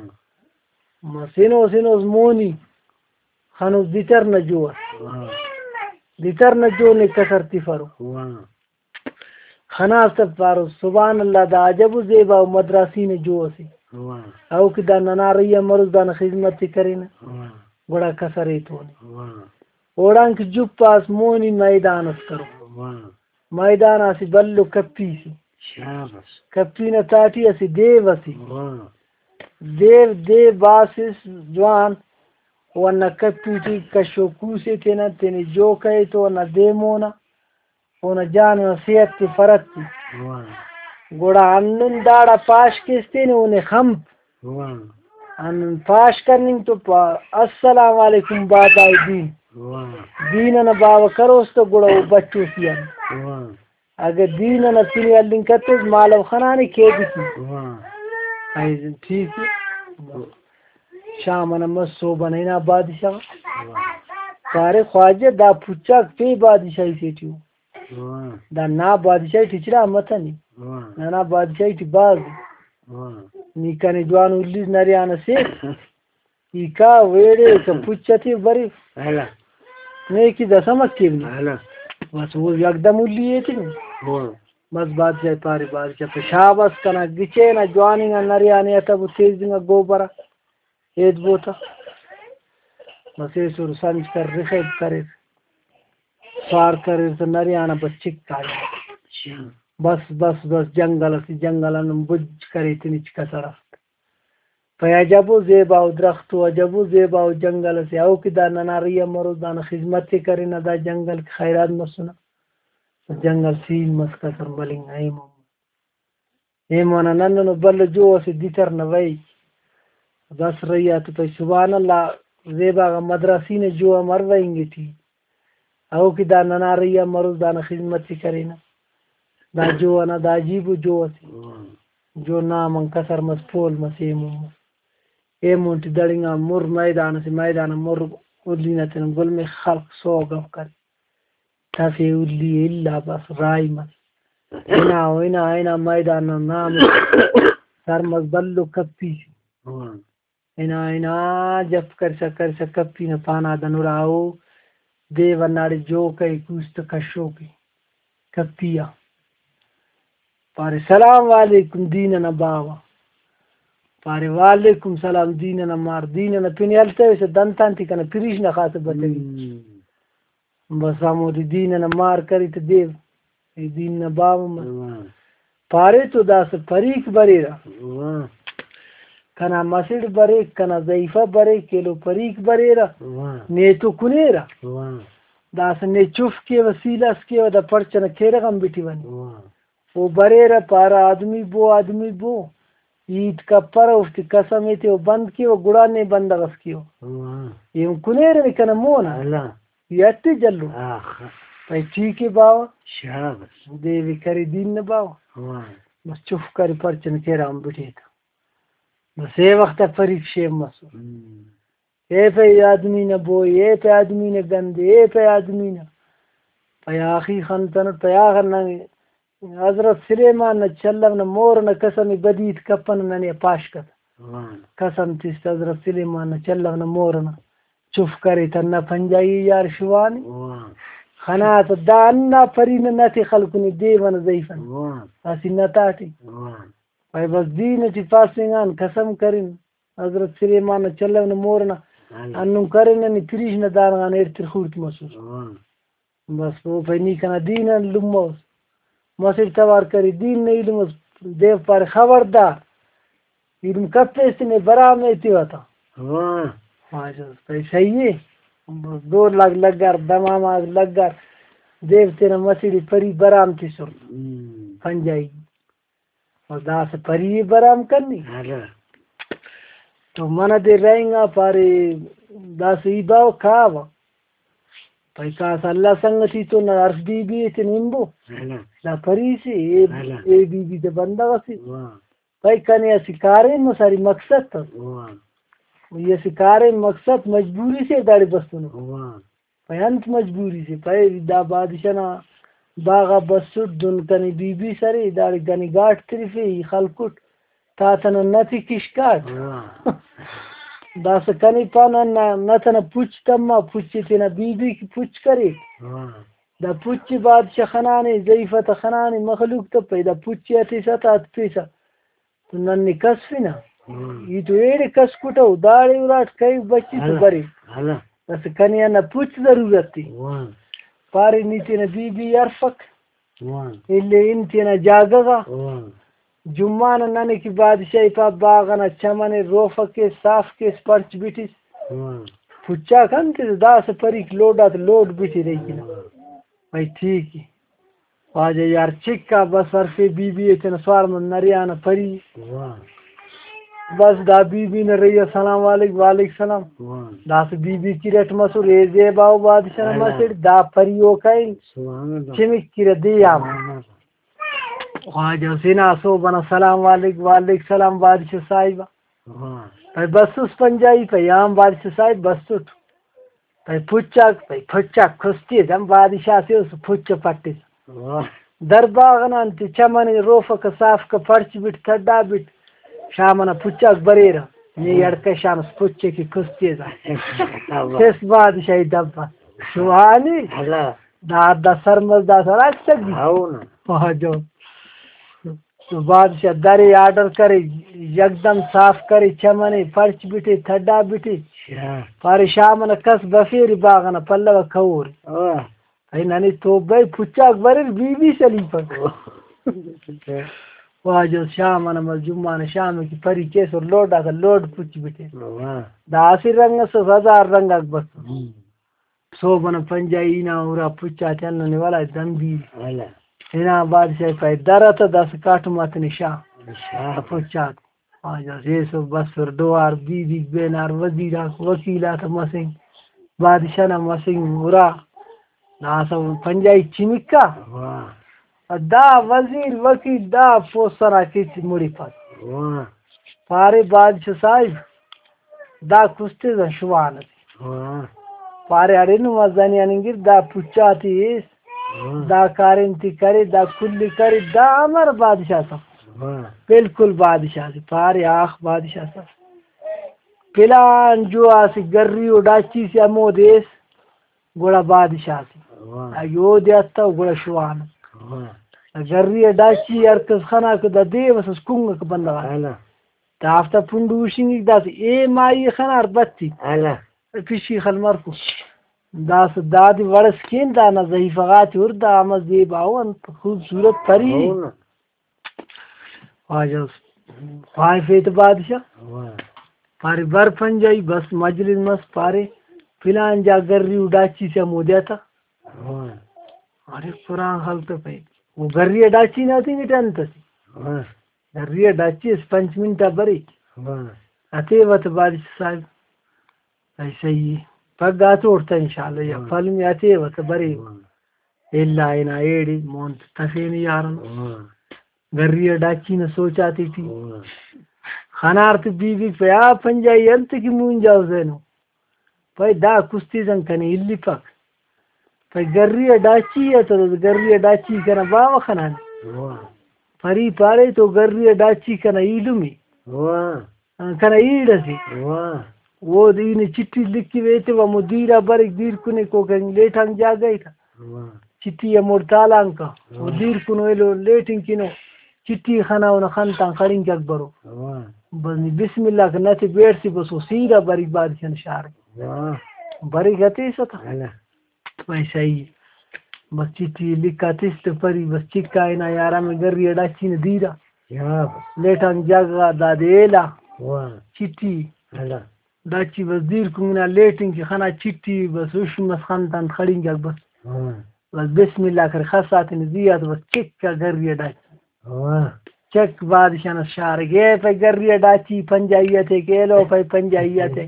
مس ہنوس ہنوس مونی خنوس دتر نا جو اس۔ واہ۔ دتر نا جو نے کسر تفرو۔ واہ۔ خناس تہ پارو، سبحان اللہ، دا عجب و زیبا و مدراسی نا جو اسے۔ واہ۔ او کہ دا ننا رہی آ مروس دانا خذمت ءِ کرینہ۔ واہ۔ گڑا کسر ایتونے۔ واہ۔ اوڑان کہ جپ آس مونی میدان اس کرو۔ واہ۔ میدان آ اسہ بھلو کپی سے۔ شاباس۔ کپی نا تہٹی اسہ دیو اسے۔ واہ۔ دیو، دیو باسس جوان، و ہندا کپی ٹی کشو کوسے تینا، تینے جو کئے تو ہندا دے مونا، اونا جان ئنا صحت تے فرت تے۔ واہ۔ گڑا ہندن داڑا پاش کیس تینے اونے خنپ۔ واہ۔ ہندن پاش کننگ تو پا-، السلام علیکم بابائے دین۔ واہ۔ دین ئنا باوہ کروس تو گڑا او بچوسی آن۔ واہ۔ اگہ دین ئنا پن ءِ ہلنگ کتوس، مالو خنانے قیدی ٹی۔ واہ۔ ایزن ٹھیک ءِ۔ شام ئنا مس، صوب ئنا ہنا بادشاہ۔ واہ۔ پارے، خواجہ، دا پچاک پین بادشاہی سے ٹی ءُ۔ واہ۔ دا نا بادشاہی ٹی ہچ نا متنے۔ واہ۔ ننا بادشاہی ٹی بھاز ءِ۔ واہ۔ نی کنے جوان الیس نریان اسے۔ ای کا ویڑے کہ پچ تے بریف۔ ہلا۔ نیکی دس ہم کیو نی۔ ہلا۔ بس او یکدم الی ایتنی۔ ہاں۔ بس بادشاہ پارے، بادشاہ پہ شاباس کنا گچین آ جواننگ آ نریانے اتبو تیزنگ آ گوبر آ۔ ایدبو تا۔ بس ایسر سنج کر رخیب کریر۔ سوار کریر تہ نریان آ بچک کاریر۔ اچھا۔ بس، بس، بس جنگل اسے، جنگل آن نم بج کرے تنچ کسر اف۔ پائے عجب و زیبا و درخت و عجب و زیبا و جنگل اسے، او کہ دا ننا رہی آ مروس دانا خذمت ءِ کرینہ، دا جنگل کہ خیرات مسنہ۔ جنگل سیل مس، کسر ملنگ نا ایمو۔ ایمو نا نن ننو بھلو جو اسے دتر نا وئی۔ بس رہی آ تو پائے سبحان اللہ، زیبا غا مدراسی نا جو آ مروئنگ ٹی۔ او کہ دا ننا رہی آ مروس دانا خذمت ءِ کرینہ۔ دا جو ئنا دا عجیب و جو اسے۔ جو نام آن کسر مس، پول مس، ایمون مس۔ ایمون ٹی دڑنگا مر میدان اسے، میدان آ مر الی نا تینا گل مے خلق سو گپ کرے۔ تفے الی الا بس راہی مس۔ ہنا و ہنا ہنا میدان نا نام سر مس بھلو کپی سے۔ ہنا ہنا جپ کرسا کرسا کپی نا پانا دن اراؤ۔ دے وناڑے جو کئے کوس تہ کشو کے کپی آ۔ پارے، "سلام علیکم دین ئنا باوہ۔" پارے، "وعلیکم سلام دین ئنا مار۔" دین ئنا پن ہلتویسہ دنتان ٹی کنا پریش نا خاطر بتوی۔ بس ہمودے دین ئنا مار کری تہ دیو، اے دین نا باوہ مس۔ واہ۔ پارے تو داسہ پریک بریرہ۔ واہ۔ کنا مسڑ بریک، کنا ضعیفہ بریک، ایلو پریک بریرہ۔ واہ۔ نے تو کنیرہ۔ واہ۔ داسہ نے چف کیوہ، سیل اس کیوہ، دا پرچہ نا کیرغ ہم بٹیوہ نے۔ واہ۔ او بریرہ پارہ، "آدمی بو، آدمی بو۔" ہیت کپرہ، اوفتے قسم ایتے او بند کیوہ، گڑا نے بندغ اس کیوہ۔ واہ۔ ایہن کنیرہ نے کنا مون آ۔ اللہ۔ ای اٹ جلو۔ آخ۔ پائے ٹھیک ءِ باوہ۔ شاباس۔ دے وی کرے دین نا باوہ۔ واہ۔ بس چف کرے پرچن کیرغ ہم بٹے تا۔ بس اے وخت آ پریک شیف مسر۔ ہم۔ اے پائے آدمی نا بوئی، اے پائے آدمی نا گندے، اے پائے آدمی نا۔ پائے آخی خنتنٹ، پائے آخر نن حضرت سلیمان نا چلو نا مور ئنا قسم بدیت کپنہ ننے پاش کتہ۔ واہ۔ قسم تس تہ حضرت سلیمان نا چلو نا مور ئنا چف کرے تہ نہ پنجائی یار شوانی۔ واہ۔ خنا تہ دا ہندا پری نہ نتے خلکنے دے منہ ضعیف ئنا۔ واہ۔ اسہ نتاٹی۔ واہ۔ پائے بس دین ٹی پاسنگ آن قسم کرن۔ حضرت سلیمان نا چلو نا مور ئنا ہاں۔ ہندن کرینہ نی پریش نا دان غان ایڑتر خوڑت مسوس۔ ہاں۔ بس او پائے نی کنا دین آن لمہ اس۔ مسڑ توار کرے دین نا ایلم اس۔ دیو پارے، "خبردار، ایلم کپیس تہ نے برام ایتیوہ تا۔" ہاں۔ واجہ پائے صحیح ءِ۔ ڈول آک لگار، دمام آک لگار، دے تینا مسڑ ئے پری برام تسر۔ ہم۔ پنجائی۔ و داسہ پری ئے برام کننگ۔ ہلو۔ تو منہ دے رہینگا پارے، داسہ ای باوہ کاوہ۔ پائے کاسہ اللہ سنگتی تو نہ ہرف بی بی ئے تینا ہنبو۔ ہلو۔ دا پری سے، اے، ہلو۔ اے بی بی تہ بندغ ئسے۔ واہ۔ پائے کنے اسہ کاریم مساری مقصد تس۔ واہ۔ ای اسہ کاریم مقصد مجبوری سے داڑے بسنو۔ واہ۔ پائے انت مجبوری سے؟ پائے دا بادشاہ نا باغ آ بسٹ، دن کنے بی بی سرے، داڑے کنے گاٹ ترفے، ای خلکٹ تا تنا نت ئے کشکاٹ۔ واہ۔ داسہ کنے پانہ ہندا نت ئنا پچ تما، پچ ئے تینا بی بی کہ پچ کرے۔ واہ۔ دا پچ ئے بادشاہ خنانے، ضعیفہ تا خنانے، مخلوق تپے، دا پچ ئے ہتیسہ تا ہتپیسہ۔ تو نن نے کسفنہ۔ ہم۔ ای تو ایڑے کسکٹہ، داڑے اراٹ کہیو بچے تو ہلہ، برے۔ ہلہ۔ بس کنے ہندا پچ ضرورت تے۔ واہ۔ پارے نی تینا بی بی ہرفک۔ واہ۔ اِلے ہن تینا جاگہ غا۔ واہ۔ جمعہ نا ننے کہ بادشاہی پا باغ ئنا چمن ئے روفہ کیس، صاف کیس، پرچ بٹس۔ واہ۔ پچاک انت داسہ پریک لوڈ آتے لوڈ بٹرے کنا۔ واہ۔ بھئی ٹھیک ءِ۔ واجہ یار چکا بس ہرفے بی بی ئے تینا سوار من نریانہ پری۔ واہ۔ بس دا بی بی نا رہی السلام علیک، وعلیک سلام۔ واہ۔ داسہ بی بی کریٹ مسر اے زیبا او بادشاہ نا اللہ۔ مسڑ دا پری او کائن۔ سبحان اللہ۔ چمک کرے دے آ۔ سبحان اللہ۔ واجہ حسین آ سوب ئنا سلام علیک، وعلیک سلام بادشاہ صاحب۔ واہ۔ پائے بسس پنجائی، پائے آن بادشاہ صاحب بسٹ۔ پائے پچاک، پائے پچاک کستی دم بادشاہ سے اس پچ پٹس۔ واہ۔ در باغ نا انت چمن روفک صاف کہ پرچ بٹ تھڈا بٹ۔ شام ئنا پچاک بریرہ۔ نی ہڑکہ شانس پچ کہ کستی دا۔ واہ۔ چس بادشاہی دبا۔ سبحانی۔ اللہ۔ دا، دا سرمس دا سر اچ تگی۔ ہاؤ نا۔ واہ جو۔ تو بادشاہ درے آرڈر کرے، یکدم صاف کرے، چمنے، پرچ بٹے، تھڈا بٹے۔ اچھا۔ پارے شام ئنا کس بفیرے باغ ئنا پلو آ کہورے۔ واہ۔ اے ننے توبہ ءِ پچاک بریر بی بی سلیپک۔ واہ۔ واجہ شام ئنا مس جمعہ نا شام کہ پری کیسر لوڈ آتا لوڈ پچ بٹے۔ واہ۔ دا اسہ رنگ اس ہزار رنگ آک بس۔ ہم۔ سہب ئنا پنجائی نا ہرا پچ آتے ہندن ولدا دمبی۔ ہلہ۔ ہنا بادشاہ پائے درہ تہ داسہ کاٹم آتے نے شاغ۔ شاغ۔ پچ آتے۔ واجہ سے سو بسر ڈوار بی بی بینار وزیر آک وکیل آتے مسنگ۔ بادشاہ نا مسنگ ہرا۔ داسہ پنجائی چمکا۔ واہ۔ دا وزیر وکیل دا پوسہ نا کچ مڑی پک۔ واہ۔ پارے بادشاہ صاحب، دا کستے دا شوان ئسے۔ واہ۔ پارے اڑے نما زنی آننگر دا پچا تے ایس، واہ۔ دا کاریم تے کرے، دا کل کرے، دا امر بادشاہ سا۔ واہ۔ بالکل بادشاہ سے۔ پارے آخ بادشاہ سا۔ پلان جو آ سے گری و ڈاچی سے ہمودے ایس۔ گڑا بادشاہ سے۔ واہ۔ اگہ اودے ہتو گڑا شوان۔ واہ۔ گری ء ڈاچی ہر کس خنا کہ دا دے بس اس کنگ کہ بندغ آ۔ ہلہ۔ دافتا پنڈو ہشنگک داسہ اے مائی خنار بتی۔ ہلہ۔ پشی خل مرکو۔ داسہ دادے وڑس کین دانا زہیفہ غاتے ہر دا امر زیبا ء انت خوبصورت پری۔ ہو نا۔ واجہ اس خواہفے تہ بادشاہ۔ واہ۔ پارے بر پنجائی بس مجلس مس پارے پلان جا گری و ڈاچی سے ہمودے آتا۔ واہ۔ ارے قرآن خلتو پہ او گری ء ڈاچی نا تنگٹ انت ئسے۔ واہ۔ گری ء ڈاچی اس پنچ منٹ آ بریک۔ واہ۔ ہتیوہ تہ بادشاہ صاحب۔ ای صحیح ء۔ پگہ آ توڑ تہ انشاءاللہ یا واہ۔ پلمے ہتیوہ تہ بریک۔ واہ۔ الا ہنا ایڑے مون تفینے یاران۔ واہ۔ گری ء ڈاچی نا سوچ آتیٹی۔ واہ۔ خنار تے بی بی پہ آ پنجائی انت کہ مونجا حسینو۔ پائے دا کستیزن کنے الیپک۔ پائے گری ء ڈاچی ء تو گری ء ڈاچی کنا باوہ خنانے۔ واہ۔ پری پارے تو گری ء ڈاچی کنا ایلم ء۔ واہ۔ کنا ایڑ ئسے۔ واہ۔ اودے ای نے چٹھی لکھوے ایتیوہ ہمو دیر آ بریک، دیر کنے کوکا لیٹانگ جاگہ ء تہ۔ واہ۔ چٹھی ہموڑ تالان کا۔ او واہ۔ دیر کنو ایلو لیٹنگ کنو۔ چٹھی خنا اونا خن تان خڑینکک برو۔ واہ۔ بس نی بسم اللہ کہ نتے بیڑ سے بس او سیرا بریک بادشاہ نا شار۔ واہ۔ بریک ہتیسہ تہ۔ ہلہ۔ بھائی صحیح۔ بس چٹھی لکھا تس تہ پری بس چکا ہنا یار ہمے گری ء ڈاچی نا دیرا۔ یا بس۔ لیٹانگ جاگہ غا دادے ایلا۔ واہ۔ چٹھی۔ ہلہ۔ ڈاچی بس دیر کنگنا لیٹنگ کہ خنا چٹی بس ہُش مس خن تان خڑینگاک بس۔ ہاں۔ بس بسم اللہ کرے خس آتینے زی آ تو بس چک آ گری آ ڈاچی۔ واہ۔ چک بادشاہ نا شارک، اے پائے گری آ ڈاچی پنجائی آتے کہ ایلو پائے پنجائی آتے۔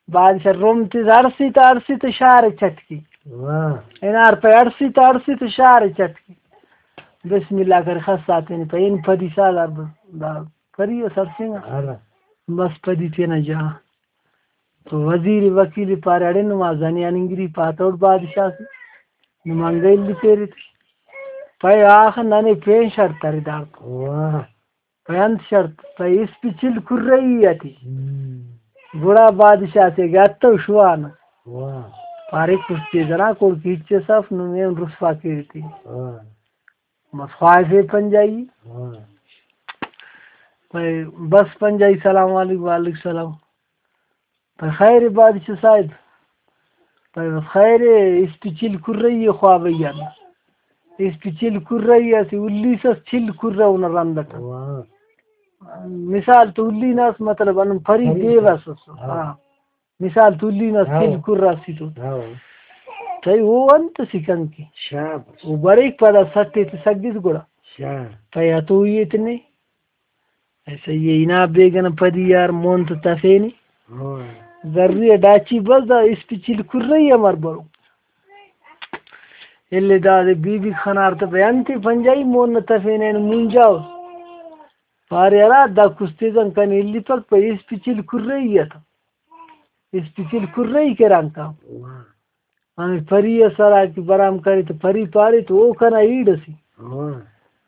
بادشاہ رم تس ہڑسی تا ہڑسی تا شارے چٹ کے۔ واہ۔ ہنار پائے ہڑسی تا ہڑسی تا شارے چٹ کے۔ بسم اللہ کرے خس آتینے پائے ہن پدی سالار بس دا پری اس ہڑسینگا۔ ہاں۔ بس پدی تینا جا۔ تو وزیر وکیل پارے، اڑے نما زنی آن انگری پاتوٹ بادشاہ سے، نما انگا الی پیرے تے۔ پائے آخہ ننے پین شرط ارے داڑتو۔ واہ۔ پائے انت شرط؟ پائے اسپی چل کرئی ٹی۔ ہم۔ گڑا بادشاہ سے گتو شوان۔ واہ۔ پارے کشتے جنا کوڑ کیچے صف نمے رسوا کیرے تے۔ واہ۔ بس خواہفے پنجائی۔ ہاں۔ پائے بس پنجائی، سلام علیکم، وعلیکم سلام۔ پائے خیر اے بادشاہ صاحب؟ پائے بس خیر اے، اسپی چل کرئی اے خوابئی آن۔ اسپی چل کرئی اسہ الیس اس چل کرہ اونا رند اٹ۔ واہ۔ مثال تو الی نا اس، مطلب ہندن پری پری۔ دیو اس اس۔ ہاں۔ ہاں۔ مثال تلی نا ہاں۔ سل کرا اسیتو۔ ہاں۔ تئی او انت اسے کنکے۔ شاباش۔ او بریک پدا سٹ ایتے سگس گڑا۔ شاباش۔ تئی ہتوئی ایتنے۔ ایسا یہ انا بیگن پدی یار مون تو تفینے۔ ہاں۔ زری ڈاچی بس دا اسپی چل کرئی امر برو۔ الی دادے بی بی خنار تہ بے انتے پنجائی مون نہ تفینے اینو مونجاؤ۔ پارے ہرا دا کستیزن کنے الیپک پہ اسپی چل کرئی اتو۔ اسپیچل کرئی کرانکا۔ واہ۔ ہمے پری ئس ہرا کہ برام کرے تہ پری پارے تہ او کنا ایڑ ئسے۔ واہ۔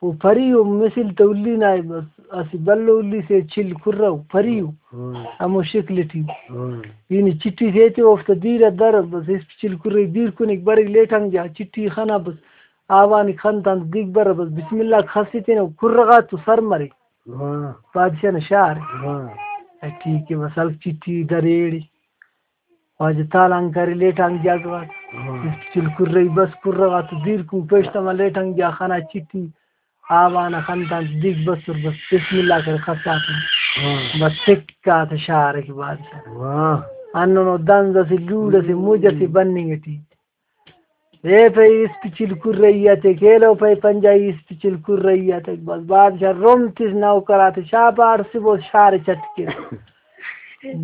او پری او مثل تہ الی نا بس اسہ بھلو الی سے چل کرہ او پری او۔ واہ۔ ہمو شکل ٹی۔ واہ۔ ای نی چٹی سے ایتے اوفتا دیر آ در بس اسپیچل کرئی دیر کنیک بریک لیٹانگ جا چٹی خنا بس آوانک خن تان دیگ برہ بس بسم اللہ خسے تینا کرہ غاتو سر مرے۔ واہ۔ بادشاہ نا شار۔ واہ۔ ٹھیک ہے بس ہلک چٹی دریڑ۔ خواجہ تالان کرے لیٹانگ جاگہ غاک۔ ہاں۔ چل کرئی بس کرہ غاتو دیر کن پیشتما لیٹانگ جا خنا چٹی آوان خن تان دیگ بسر بس بسم اللہ کرے خساتے۔ ہاں۔ بس ٹک آتے شارے کہ بادشاہ۔ واہ۔ ہندنو دنز اسہ لوڑ اسہ مج اسہ بننگ ٹی۔ اے پائے اسپیچل کرئی آتے کیلو پائے پنجائی اسپیچل کرئی آتے بس بادشاہ رم تس نوکر آتے شاپا ہڑسبو شارے چٹ کیر۔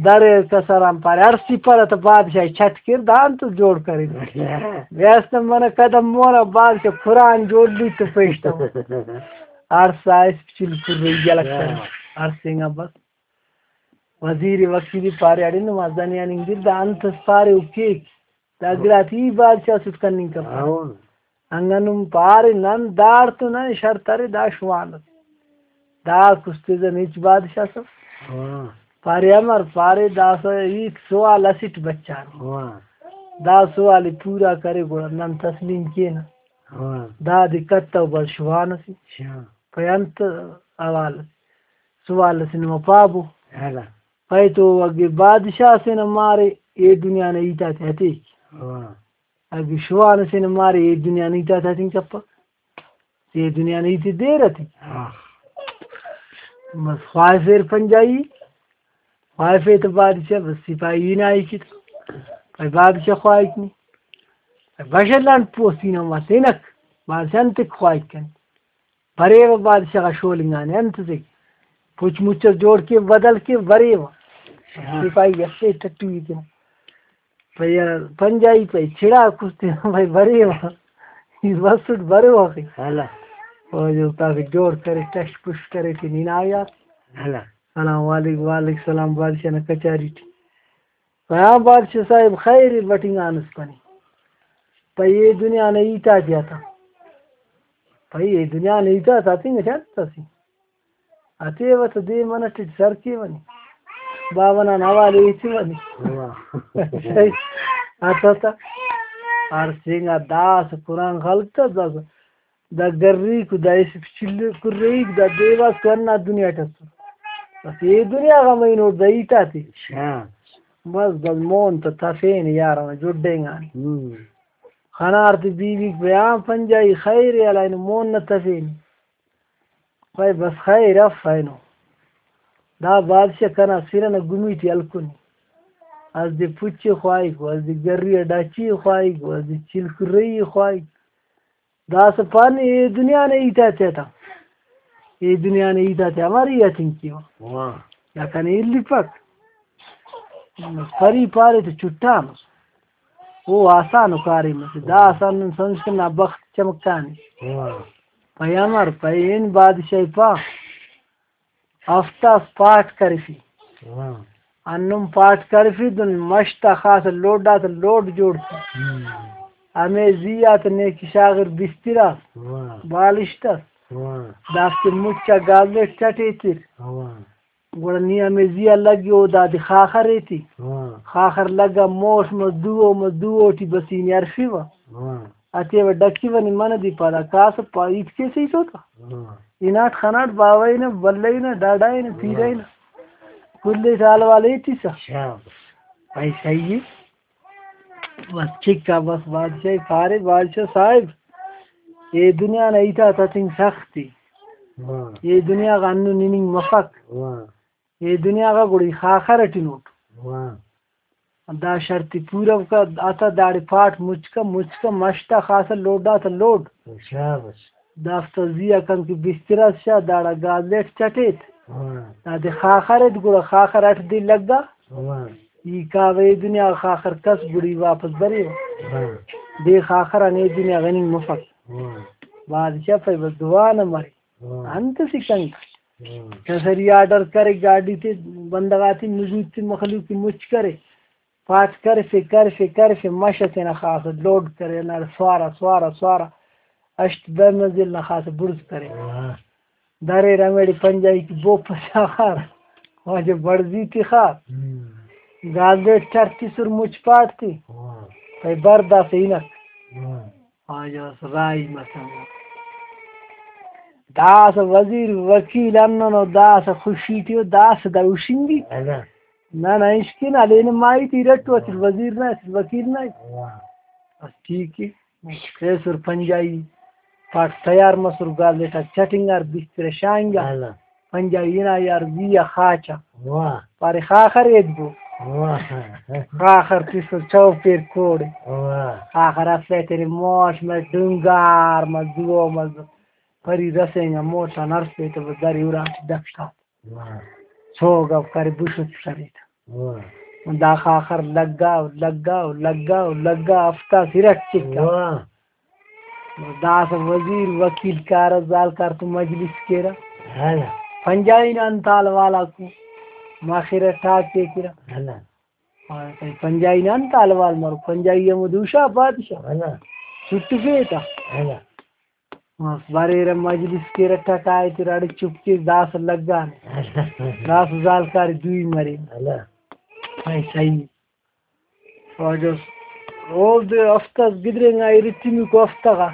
دڑے کسر آن پارے، ہڑسی پارہ تہ بادشاہ چٹ کر، دا انت جوڑ کرے۔ بیاس نہ منہ قدم مون آ بادشاہ قرآن جوڑ لی تو پیش تو۔ ہڑسا اسپیچل کرئی یلہ کرے۔ ہڑسینگا بس۔ وزیر وکیلی پارے، اڑے نما زنیان انگر دا انت اس پارے او کیک۔ دا گڑاتے ای بادشاہ اسٹ کننگ کپرہ۔ ہاں۔ انگا نم پارے نن داڑتون نن شرط ارے دا شوان اس۔ دا کستیزن ہچ بادشاہ اس۔ ہاں۔ پارے امر پارے داسہ ہیت سوال اسٹ بچانے۔ ہاں۔ دا سوال ءِ پورا کرے گڑا نن تسلیم کینہ۔ ہاں۔ دادے کتو بس شوان اسے۔ شوان۔ پائے انت حوال اس۔ سوال اسے نما پابو۔ ہاں۔ پائے تو اگہ بادشاہ اسے نا مارے اے دنیا نا ہیت آتے ہتیک۔ ہاں۔ اگہ شوان اسے نا مارے اے دنیا نا ہیت آتے ہتنگ کپک۔ اے دنیا نا ہیت دیر اتیک۔ ہاں۔ بس خواہفیر پنجائی، خواہفے تہ بادشاہ بس سپاہی ہنائی کت۔ پائے بادشاہ خواہک نی۔ پائے بشل آن پوستی نا مس ہنک۔ بادشاہ انتک خواہک کن۔ بریوہ بادشاہ غا شولنگانے انت سے پچ مچ اس جوڑ کے بدل کے بریوہ۔ ہاں۔ سپاہی اسے ٹٹوی تینا۔ پائے پنجائی پائے چڑا کستے پائے بریوہ۔ ای بسٹ بریوہ کے۔ ہاں۔ او جو تاکہ جوڑ کرے ٹش پش کرے ٹی ننا یار۔ ہاں۔ سلام علیک، وعلیک سلام بادشاہ نا کچاری ٹی۔ پائے ہاں بادشاہ صاحب خیر ءِ بٹنگانس پنے۔ پائے اے دنیا نا ہیت آتے آتا۔ پائے اے دنیا نا ہیت آتا ہتنگ اٹ انت اسے۔ ہتیوہ تہ دے منٹ اٹ سر کیوہ نی۔ باوہ نان حوالے ہیتیوہ نی۔ واہ۔ صحیح۔ ہتہ تہ۔ ہڑسینگا داسہ قرآن خلک تہ داسہ۔ دا گریکو دا اسپیچل کریک دا دیواس تو ہندا دنیا ٹی اسر۔ بس اے دنیا غا مینوٹ دا ہیت آتے۔ شاہ۔ بس بس مون تہ تفین یار ہمہ جڈینگانے۔ ہم۔ خنار تے بی بیک پائے آن پنجائی خیر ءِ ہلائنو مون نہ تفین۔ پائے بس خیر اف اینو۔ دا بادشاہ کنا سر ئنا گمی ٹی ہلکنے۔ اسہ دے پچ ءِ خواہک، اسہ دے گری ءِ ڈچی ءِ خواہک، اسہ دے چلک رہی ءِ خواہک۔ داسہ پانے اے دنیا نا ہیت آتے تا، اے دنیا نا ہیت آتے ہماری ہتنگ کیوہ۔ واہ۔ یا کنے الیپک۔ پری پارے تو چٹانس۔ او آسان ءُ کاریم اسے۔ داسہ ہندن سمجھ کن نا بخت چمکانے۔ واہ۔ پیامر پین بادشاہ پا۔ ہفتہ اس پاٹ کرفی۔ واہ۔ ہندن پاٹ کرفی دن مش تا خاص لوڈ آتا لوڈ جوڑ کے۔ ہم۔ ہمے زی آتا نیکی شاغر بستر اس۔ واہ۔ بالشت اس۔ واہ۔ دافتے مچ آ گازیٹ چٹ ایتر۔ واہ۔ گڑا نی ہمے زی آ لگے او دادے خاخر ایتے۔ واہ۔ خاخر لگا موش مس دو او مس دو او ٹی بس ای نے ہرفیوہ۔ واہ۔ ہتیوہ ڈکیوہ نی منہ دی پدا کاسہ پا ہیت کیسہ ہیت اوتا۔ ہاں۔ ہناٹ خناٹ باوہ ہنا، بلہ ہنا، ڈاڈا ہنا، پیرہ ہنا۔ کل ئے حال والے ہیتسہ۔ شاباش۔ بھائی صحیح ہے۔ بس چکا بس بادشاہ پارے، بادشاہ صاحب، اے دنیا نا ہیت آتا تنگ سخت ءِ۔ واہ۔ اے دنیا غا ہندن ہننگ مفک۔ واہ۔ اے دنیا غا گڑا ای خاخر اٹی نوٹ۔ واہ۔ دا شرط ءِ پورو کا، آتا داڑے پاٹ مچکا، مچکا مش تا خاصا لوڈ آتا لوڈ۔ شاباش۔ دافتا زی آ کن کہ بستر اس شا، داڑا گازیٹ چٹیت۔ واہ۔ دادے خاخر ایت، گڑا خاخر اٹ دے لگا۔ واہ۔ ای کاوہ اے دنیا خاخر کس گڑا ای واپس بریوہ۔ واہ۔ دے خاخر آن اے دنیا غنی مفک۔ واہ۔ بادشاہ پائے بس دعا نہ مرے۔ واہ۔ انت اسہ کنک۔ واہ۔ کسری آرڈر کرے، گاڈی تے بندغ آتے، مزور تے، مخلوق تے مچ کرے، پاٹ کرفے، کرفے، کرفے، مش ئسے نا خاص لوڈ کرے، ہندا سوارا، سوارا، سوارا، ہشت دہ منزل نا خاص بڑز کرے۔ واہ۔ دریر ہمیڑے پنجائی کہ بوپ ئسے آخار، واجہ بڑزی تخار۔ ہم۔ گازیٹ چٹ تسر مچ پاٹ تے۔ واہ۔ پائے بر داسہ ہنک۔ واہ۔ آ جاس راہی مسنے۔ داسہ وزیر وکیل ہندنو، داسہ خوشی ٹی او، داسہ دا ہشنگی۔ اگہ۔ نہ، نہ، اشکن ہلینہ ماہی تے ارٹ تو اسل وزیر نا، اسل وکیل نا۔ واہ۔ بس ٹھیک ہے۔ ایسر پنجائی پاٹ تیار مسر، گازیٹ آ چٹنگار، بستر شاہنگا۔ اگہ۔ پنجائی ہنا یار زی آ خاچا۔ واہ۔ پارے خاخر ایدگو۔ واہ۔ خاخر تسر چوپیر کوڑے۔ واہ۔ خاخر اسے تینے موش مس ڈنگار مس دعو مس۔ پری رسینگا موٹان ہرفے تو بس درے اراٹی ڈکھٹات۔ واہ۔ سوگو کرے بشت کرے تا۔ واہ۔ دا خاخر لگا و لگا و لگا و لگا ہفتہ سرٹ چکا۔ واہ۔ داسہ وزیر وکیل کارہ، زالکار تو مجلس کیرہ۔ ہلا۔ پنجائی نا انت حال والا کو مخرہ ٹاکے کیرہ۔ ہلا۔ اور پنجائی نا انت حال وال مرو، پنجائی ہمو دوشا بادشاہ۔ ہلا۔ چھٹفے تا۔ ہلا۔ بس بریرہ مجلس کیرہ، ٹکائے تیرہ اڑے چپ کیس، داسہ لگانے۔ ہلا۔ داسہ زالکار دوئی مرے۔ ہلا۔ بھائی صحیح۔ واجہ اس، اوفتے ہفتہ اس گدرینگا، ارٹمیکو ہفتہ غا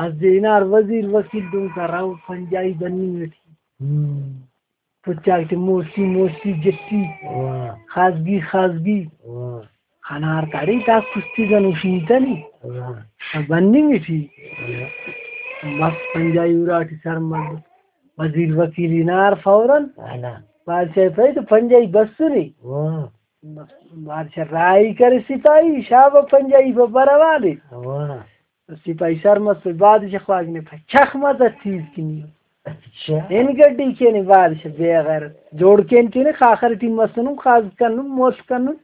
اسہ دے ہنار وزیر وکیل دنکا راہو پنجائی بننگ ٹی۔ ہم۔ پچاک تے موسی موسی جٹی۔ واہ۔ خازگی خازگی۔ واہ۔ خنار کاڑے تا کشتی گنو شینتنے۔ واہ۔ بننگ ٹی۔ واہ۔ بس پنجائی اراٹی سر ملک۔ وزیر وکیل ہنار فوراً۔ واہ۔ بادشاہ پائے تو پنجائی بسنے۔ واہ۔ بس بادشاہ راہی کرے سپاہی، شابہ پنجائی پہ برہ والے۔ واہ۔ سپاہی سر مسر، بادشاہ خواجہ نے پائے چخ مزہ تیز کنی۔ اچھا۔ ہن گڈی کینے بادشاہ بے غیرت۔ جوڑ کین تینے خاخر ٹی مسنن، خاز کنن، مول کنن۔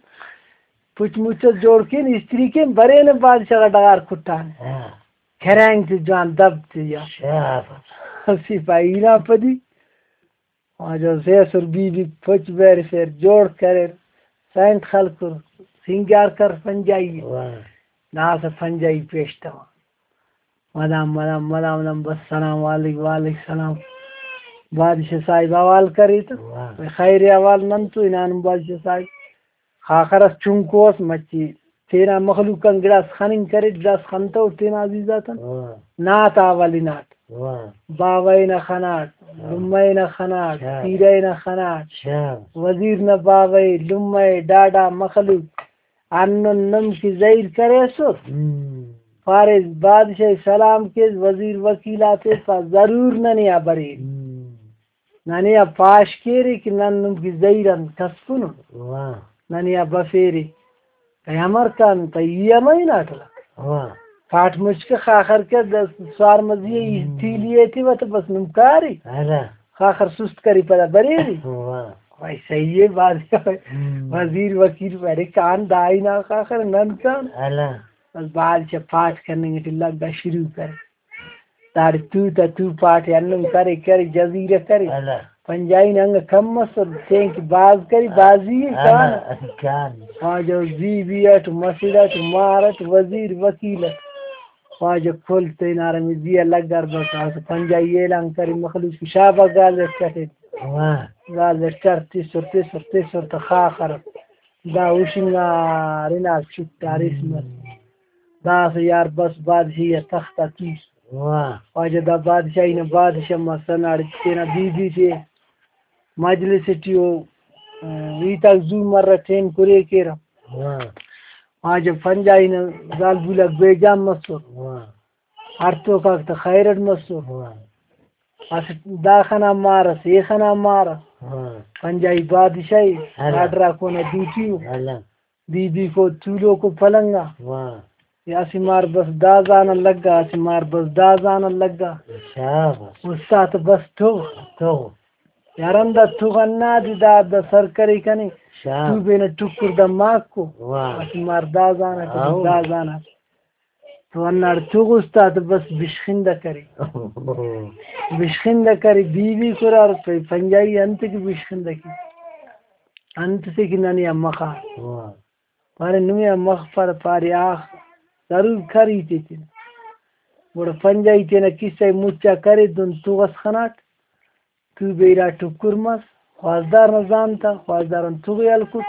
پچ مچ اس جوڑ کین، استری کین، برینہ بادشاہ غا ڈغار کٹانے۔ ہاں۔ کھرینگ تے جوان دب تے یا۔ شاباش۔ سپاہی نا پدی۔ واجہ سے اسر بی بی پچ برفیر، جوڑ کریر، سینٹ خلکر، سینگار کر پنجائی۔ واہ۔ داسہ پنجائی پیش تما۔ مدام، مدام، مدام، مدام، بس سلام علیک، وعلیک سلام۔ بادشاہ صاحب حوال کرے تو۔ واہ۔ خیر حوال نن تو ہنانم بادشاہ صاحب۔ خاخر اس چنکو اس مچے تینا مخلوق آن گڑاس خننگ کریٹ، گڑاس خنتو تینا عزیز آتان۔ واہ۔ نعت آ ولیناٹ۔ واہ۔ باوہ نا خناٹ، واہ۔ لمہ نا خناٹ، شاباش۔ پیرہ نا خناٹ۔ شاباش۔ وزیر نا باوہ، لمہ، ڈاڈا، مخلوق ہندن نم کہ زہیر کریسر۔ ہم۔ پاریس بادشاہ سلام کیس، وزیر وکیل آتے پا ضرور ننے آ بریر۔ ہم۔ ننے آ پاش کیرے کہ نن نم کہ زہیر آن کسکنن۔ واہ۔ ننے آ بفیرے۔ تہ امر کن تہ ای ہم ہناٹ لک۔ واہ۔ پاٹ مچ کہ خاخر کہ دس سوار مزی ای ہم۔ تیلی ایتیوہ تہ بس نم کاری۔ ہلا۔ خاخر سست کری پدا بریری۔ واہ۔ بھائی صحیح ہے، بھاز ہم۔ وزیر وکیل بڑے کان دائی نا خاخر نن کان۔ ہلا۔ بس بادشاہ پاٹ کننگ ٹی لگا شروع کرے۔ داڑے تو تا تو پاٹ ئے ہندن کرے، کرے، جزیرہ کرے۔ ہلا۔ پنجائی نا انگا کم مسر، تینکہ باز کرے، بازی ئے ہلا، کان۔ کان۔ خواجہ بی بی اٹ، مسڑ اٹ، مار اٹ، وزیر، وکیل اٹ۔ خواجہ کل تینارا مزی آ لگار بس، اسہ پنجائی اعلان کرے، مخلوق شابا گال اٹ کٹے۔ واہ۔ گال اٹ کر تسر، تسر، تسر تہ خاخر۔ دا ہشنگار ہناٹ چٹار اس مس۔ داسہ یار بس بادشاہی آ تخت آ تس۔ واہ۔ خواجہ دا بادشاہی نا بادشاہ مس، ہنداڑے تینا بی بی تے مجلس ٹی او، ام، ہیتاک زو مرہ، ٹیم کُرے کیرہ۔ واہ۔ خواجہ پنجائی نا زالبول آک بے جان مسر۔ واہ۔ ہڑتوک آک تہ خیر اٹ مسر۔ واہ۔ اسٹ داخہ نا مار اس، ایخہ نا مار اس۔ واہ۔ پنجائی بادشاہی، ہلا۔ آرڈر آک اونا دوٹی ءُ۔ ہلا۔ بی بی کو تولوکو پلنگ آ۔ واہ۔ یا اسہ مار بس دا زان آ لگا، اسہ مار بس دا زان آ لگا۔ شاباش۔ استاد بس تغ۔ تغ۔ یار ہندا تغ ہندا دے دا، دا سر کرے کنے۔ شاباش۔ تو بینا ٹکر دا ماک کو۔ واہ۔ اسہ مار دا زان آ، واہ۔ دا زان آ۔ تو ہنداڑے تغ استاد بس بشخندہ کرے۔ بشخندہ کرے، بی بی کرار پنجائی انت کہ بشخندہ کے۔ انت سے کہ ننے آ مخا۔ واہ۔ پارے نمے آ مخ پر پارے آخ ضرور کر ہیتے تینا۔ گڑا پنجائی تینا قصہ ءِ مچا کرے دن تغ اس خناٹ، تو بیرا ٹکر مس، خواستار نا زان تا، خواستار آن تغ ءِ ہلکٹ،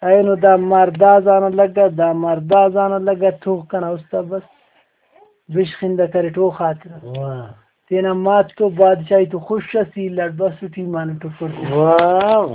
اینو دا مار دا زان آ لگا، دا مار دا زان آ لگا، تغ کنا اُستا بس بشخندہ کریٹ او خاطر۔ واہ۔ تینا مات تو بادشاہی تو خوش اس، ای لڑ بس ٹی ایمان ٹکر۔ واہ۔